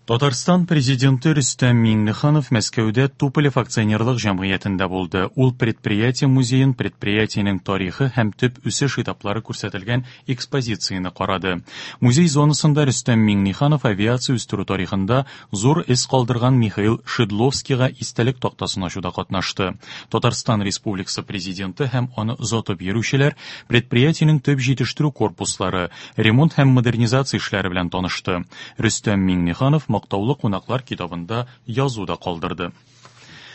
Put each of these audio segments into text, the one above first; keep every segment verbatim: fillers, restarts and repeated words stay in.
Татарстан президенты Рөстәм Миңнеханов Мәскәүдә Туполев акционерлык җәмгыятендә булды. Ул предприятие музеен, предприятиенең тарихы һәм төп үсеш этаплары күрсәтелгән экспозицияне карады. Музей зонасында Рөстәм Миңнеханов авиация үстерү тарихында зур эз калдырган Михаил Шидловскийга истәлек тактасын ачуда катнашты. Татарстан Республикасы президенты һәм аны озатып йөрүчеләр предприятиенең төп җитештерү корпуслары, ремонт һәм модернизация эшләре белән танышты. Рөстәм Миңнеханов мактаулы кунаклар китабында язу да калдырды.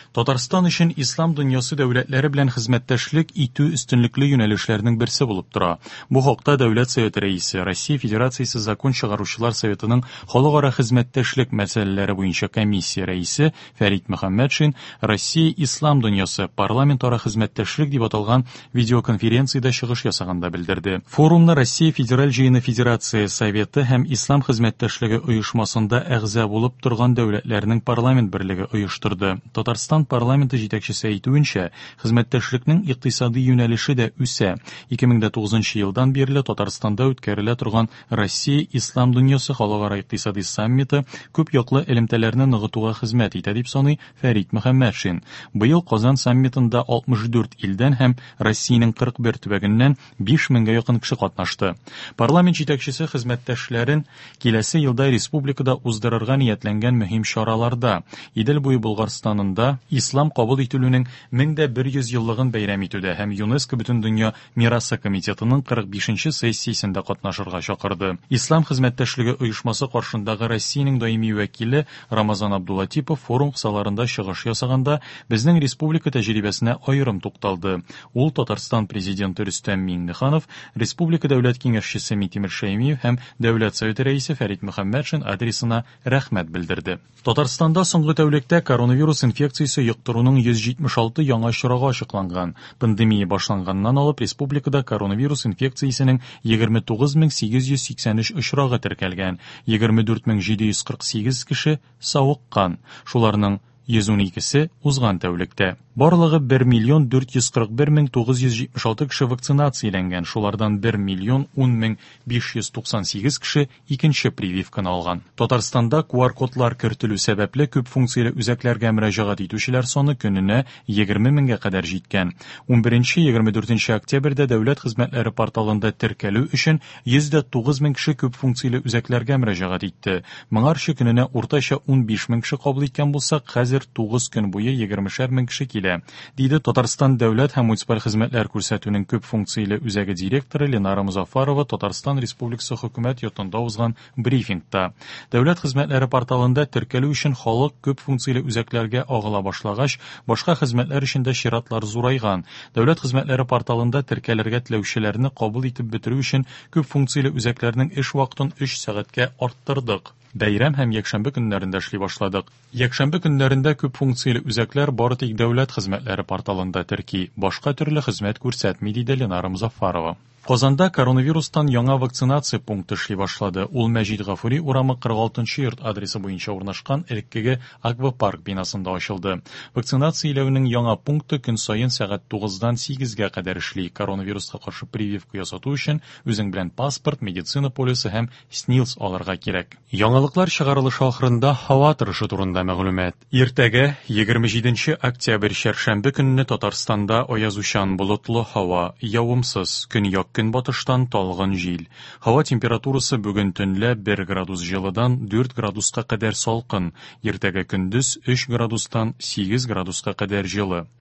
Татарстан өчен ислам дөньясы дәүләтләре белән хезмәттәшлек итү өстенлекле юнәлешләрнең берсе булып тора. Бу хакта Дәүләт Советы рәисе, Россия Федерациясе Закон чыгаручылар Советының халыкара хезмәттәшлек мәсьәләләре буенча комиссия рәисе Фәрит Мөхәммәтшин Россия Ислам дөньясы парламентара хезмәттәшлек дип аталган видеоконференциядә чыгыш ясаганда белдерде. Форумны Россия Федераль җыены Федерация Советы һәм Ислам хезмәттәшлеге оешмасында әгъза булып торган дәүләтләрнең парламент берлеге оештырды. Татарстан парламенты җитәкчесе әйтүенчә, хезмәттәшлекнең икътисади юнәлеше дә үсә. ике мең дә тугызынчы елдан бирле Татарстанда үткәрелә торган Россия Ислам дөньясы халыкара икътисади саммиты күп яклы элемтәләрне ныгытуга хезмәт итә дип саный Фәрит Мөхәммәтшин. Быел Казан саммитында алтмыш дүрт илдән һәм Россиянең кырык бер төбәгеннән биш меңгә якын кеше катнашты. Парламент җитәкчесе хезмәттәшләрен киләсе елда республикада уздырырга ниятләнгән мөһим чараларда Идел буе Болгарстанында Ислам кабул ителүнең мең дә бер йөз еллыгын бәйрәм итүдә һәм ЮНЕСКО Бөтендөнья мирасы комитетының кырык бишенче сессиясендә катнашырга чакырды. Ислам хезмәттәшлеге оешмасы каршындагы Россиянең даими вәкиле Рамазан Абдулатипов форум кысаларында чыгыш ясаганда безнең республика тәҗрибәсенә аерым тукталды. Ул Татарстан президенты Рөстәм Миңнеханов, Республика Дәүләт Киңәшчесе Минтимер Шәймиев һәм Дәүләт Советы рәисе Фәрит Мөхәммәтшин адресына рәхмәт белдерде. Татарстанда соңгы тәүлектә коронавирус инфекциясе йоктыруның йөз җитмеш алты яңа очрагы ачыкланган. Пандемия башланганнан алып республикада коронавирус инфекциясенең егерме тугыз мең сигез йөз сиксән өч очрагы теркәлгән. Егерме дүрт мең җиде йөз кырык сигез кеше савыккан. Шуларның йөз ун икесе узган тәүлектә. Барлыгы бер миллион дүрт йөз кырык бер мең тугыз йөз җитмеш алты кеше вакцинацияләнгән. Шулардан бер миллион ун мең биш йөз туксан сигез кеше икенче прививканы алган. Татарстанда ку ар кодлар кертелү сәбәпле күп функцияле үзәкләргә мөрәҗәгать итүчеләр саны көненә егерме меңгә кадәр җиткән. Ун беренче егерме дүртенче октябрьдә дәүләт хезмәтләре порталында теркәлү өчен йөз дә тугыз мең кеше күп функцияле үзәкләргә мөрәҗәгать итте. Моңарчы көненә уртача ун биш мең кеше кабул иткән булсак, хәзер тугыз көн буе егермешәр мең кеше килә, диде Татарстан дәүләт һәм муниципаль хезмәтләр күрсәтүнең күп функцияле үзәге директоры Ленара Музафарова Татарстан Республикасы хөкүмәт йортында узган брифингта. Дәүләт хезмәтләре порталында теркәлү өчен халык күп функцияле үзәкләргә агыла башлагач, башка хезмәтләр өчен дә чиратлар зурайган. Дәүләт хезмәтләре порталында теркәлергә теләүчеләрне кабул итеп бетерү өчен күп функцияле үзәкләрнең эш вакытын өч сәгатькә арттырдык. Бәйрәм һәм якшәмбе көннәрендә эшли башладык. Якшәмбе көннәрендә күп функцияле үзәкләр бары тик дәүләт хезмәтләре порталында терки, башка төрле хезмәт күрсәтми, диде Ленара Музафарова. Казанда коронавирустан яңа вакцинация пункты эшли башлады. Ул Мәҗит Гафури урамы кырык алтынчы йорт адресы буенча урнашкан элеккеге аквапарк бинасында ачылды. Вакцинацияләүнең яңа пункты көн саен сәгать тугыздан сигезгә кадәр эшли. Коронавируска каршы прививка ясату өчен үзең белән паспорт, медицина полисы һәм СНИЛС алырга кирәк. Яңалыклар чыгарылышы ахырында һава торышы турында мәгълүмат. Иртәгә егерме җиденче октябрь чәршәмбе көнне Татарстанда аязучан болытлы һава, явымсыз, көньяк көнбатыштан талгын җил. Һава температурасы бүген төнлә бер градус җылыдан дүрт градуска кадәр салкын, иртәгә көндез өч градустан сигез градуска кадәр җылы.